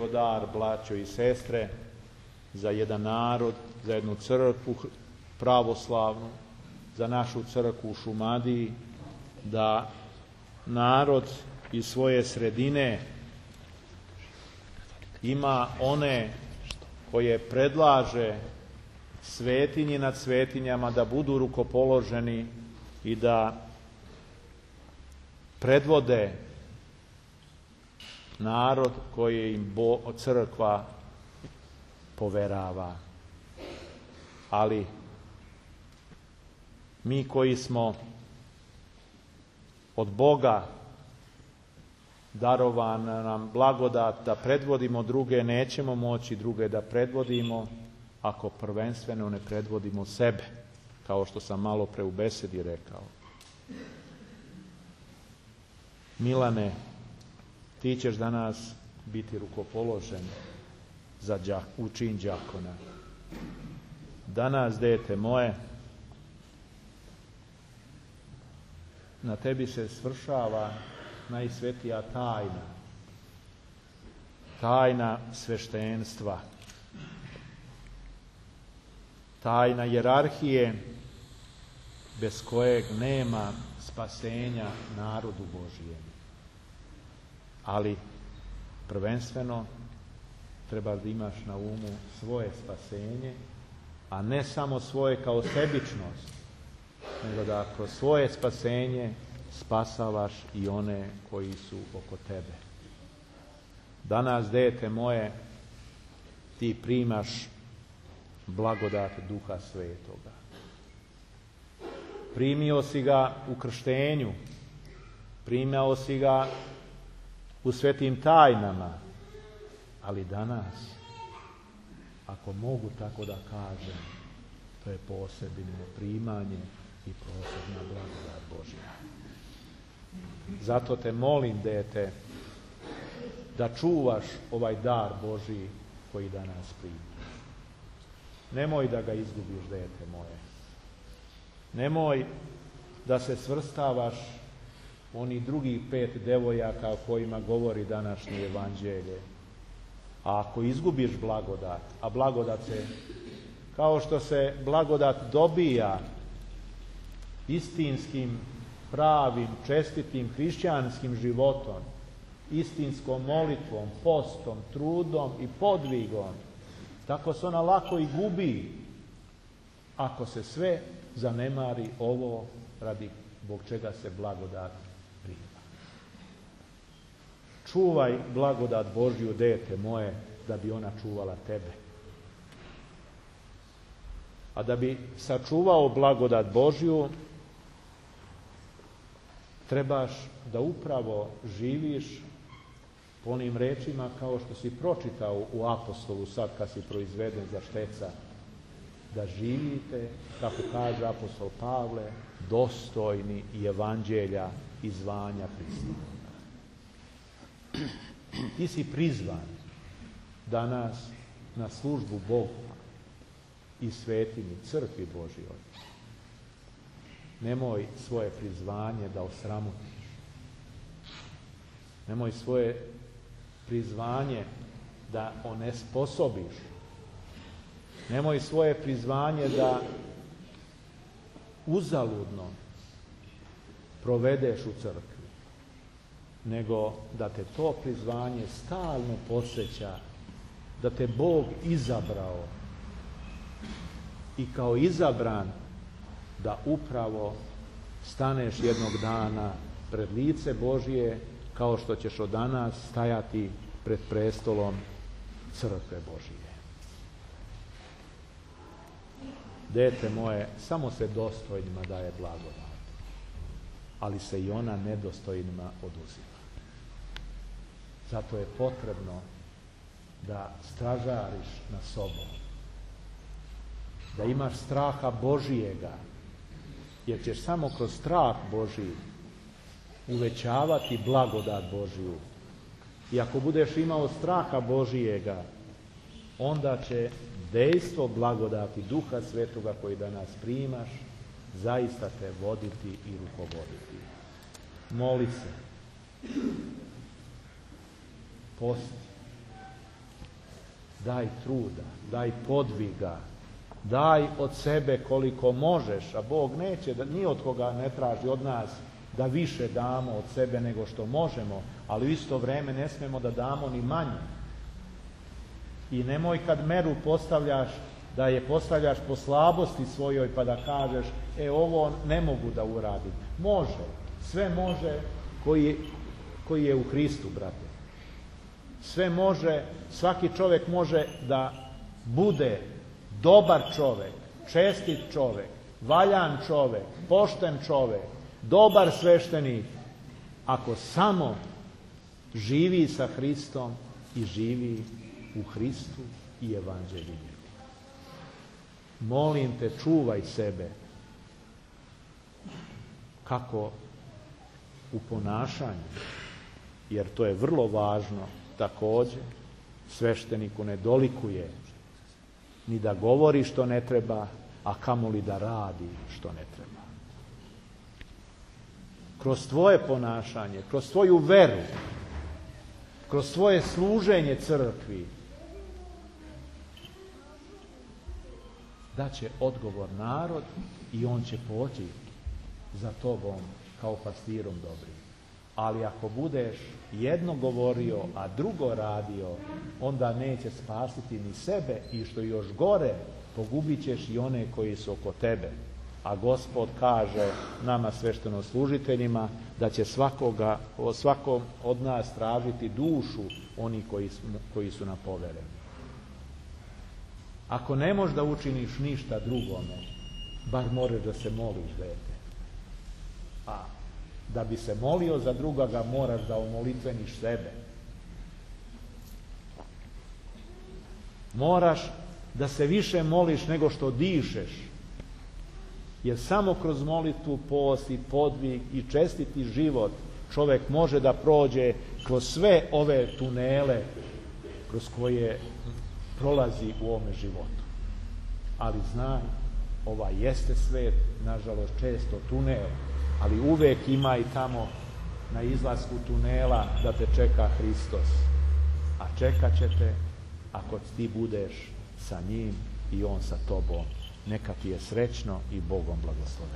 to dar, braćo i sestre, za jedan narod, za jednu crkvu pravoslavnu, za našu crkvu u Šumadiji, da narod iz svoje sredine ima one koje predlaže svetinji nad svetinjama da budu rukopoloženi i da predvode narod koji im crkva poverava. Ali mi koji smo od Boga darovan nam blagodat da predvodimo druge, nećemo moći druge da predvodimo ako prvenstveno ne predvodimo sebe, kao što sam malo pre u besedi rekao. Milane, ti ćeš danas biti rukopoložen u čin đakona. Danas, dete moje, na tebi se svršava najsvetija tajna, tajna sveštenstva, tajna jerarhije bez kojeg nema spasenja narodu Božijem. Ali prvenstveno treba da imaš na umu svoje spasenje, a ne samo svoje kao sebičnost, nego da kroz svoje spasenje spasavaš i one koji su oko tebe. Danas, dete moje, ti primaš blagodat Duha Svetoga. Primio si ga u krštenju, primao si ga u svetim tajnama, ali danas, ako mogu tako da kažem, to je posebno primanje i posebna blagodat Božja. Zato te molim, dete, da čuvaš ovaj dar Božji koji danas primaš. Nemoj da ga izgubiš, dete moje. Nemoj da se svrstavaš u onih drugih 5 devojaka o kojima govori današnje evanđelje. A ako izgubiš blagodat, a blagodat se, kao što se blagodat dobija istinskim, pravim, čestitim, hrišćanskim životom, istinskom molitvom, postom, trudom i podvigom, tako se ona lako i gubi ako se sve zanemari ovo radi zbog čega se blagodat prima. Čuvaj blagodat Božju, dete moje, da bi ona čuvala tebe. A da bi sačuvao blagodat Božju, trebaš da upravo živiš po onim rečima kao što si pročitao u Apostolu sad kad si proizveden za šteca, da živite, kako kaže apostol Pavle, dostojni i evanđelja i zvanja Hristovoga. Ti si prizvan danas na službu Bogu i svetinji, crkvi Božjoj. Nemoj svoje prizvanje da osramutiš. Nemoj svoje prizvanje da onesposobiš. Nemoj svoje prizvanje da uzaludno provedeš u crkvi, nego da te to prizvanje stalno podsjeća da te Bog izabrao i kao izabran da upravo staneš jednog dana pred lice Božje, kao što ćeš od danas stajati pred prestolom crkve Božje. Dete moje, samo se dostojnima daje blagodat, ali se i ona nedostojnima oduzima. Zato je potrebno da stražariš nad sobom, da imaš straha Božijega, jer ćeš samo kroz strah Božiji uvećavati blagodat Božiju. I ako budeš imao straha Božijega, onda će dejstvo blagodati Duha Svetoga koji danas primaš zaista te voditi i rukovoditi. Moli se, posti, daj truda, daj podviga, daj od sebe koliko možeš, a Bog neće, ni od koga ne traži od nas da više damo od sebe nego što možemo, ali u isto vrijeme ne smijemo da damo ni manje. I nemoj kad meru postavljaš, da je postavljaš po slabosti svojoj pa da kažeš, ovo ne mogu da uradim. Može, sve može koji je u Hristu, brate. Sve može, svaki čovjek može da bude dobar čovjek, čestit čovjek, valjan čovjek, pošten čovjek, dobar sveštenik, ako samo živi sa Hristom i živi u Hristu i evanđelju. Molim te, čuvaj sebe, kako u ponašanju, jer to je vrlo važno također. Svešteniku ne dolikuje ni da govori što ne treba, a kamoli da radi što ne treba. Kroz tvoje ponašanje, kroz tvoju veru, kroz svoje služenje crkvi, daće odgovor narod i on će poći za tobom kao pastirom dobrim. Ali ako budeš jedno govorio, a drugo radio, onda neće spasiti ni sebe i što još gore, pogubit ćeš i one koji su oko tebe. A Gospod kaže nama sveštenoslужiteljima da će svakom od nas tražiti dušu oni koji su na povereni. Ako ne možeš da učiniš ništa drugome, bar moraš da se moliš, dete. A da bi se molio za drugoga, moraš da omolitveniš sebe. Moraš da se više moliš nego što dišeš. Jer samo kroz molitvu, post i podvig i čestiti život čovjek može da prođe kroz sve ove tunele kroz koje prolazi u ovome životu. Ali znaj, jeste svet, nažalost često tunel, ali uvek ima i tamo na izlasku tunela da te čeka Hristos. A čekat će te ako ti budeš sa njim i on sa tobom. Neka ti je srećno i Bogom blagosloven.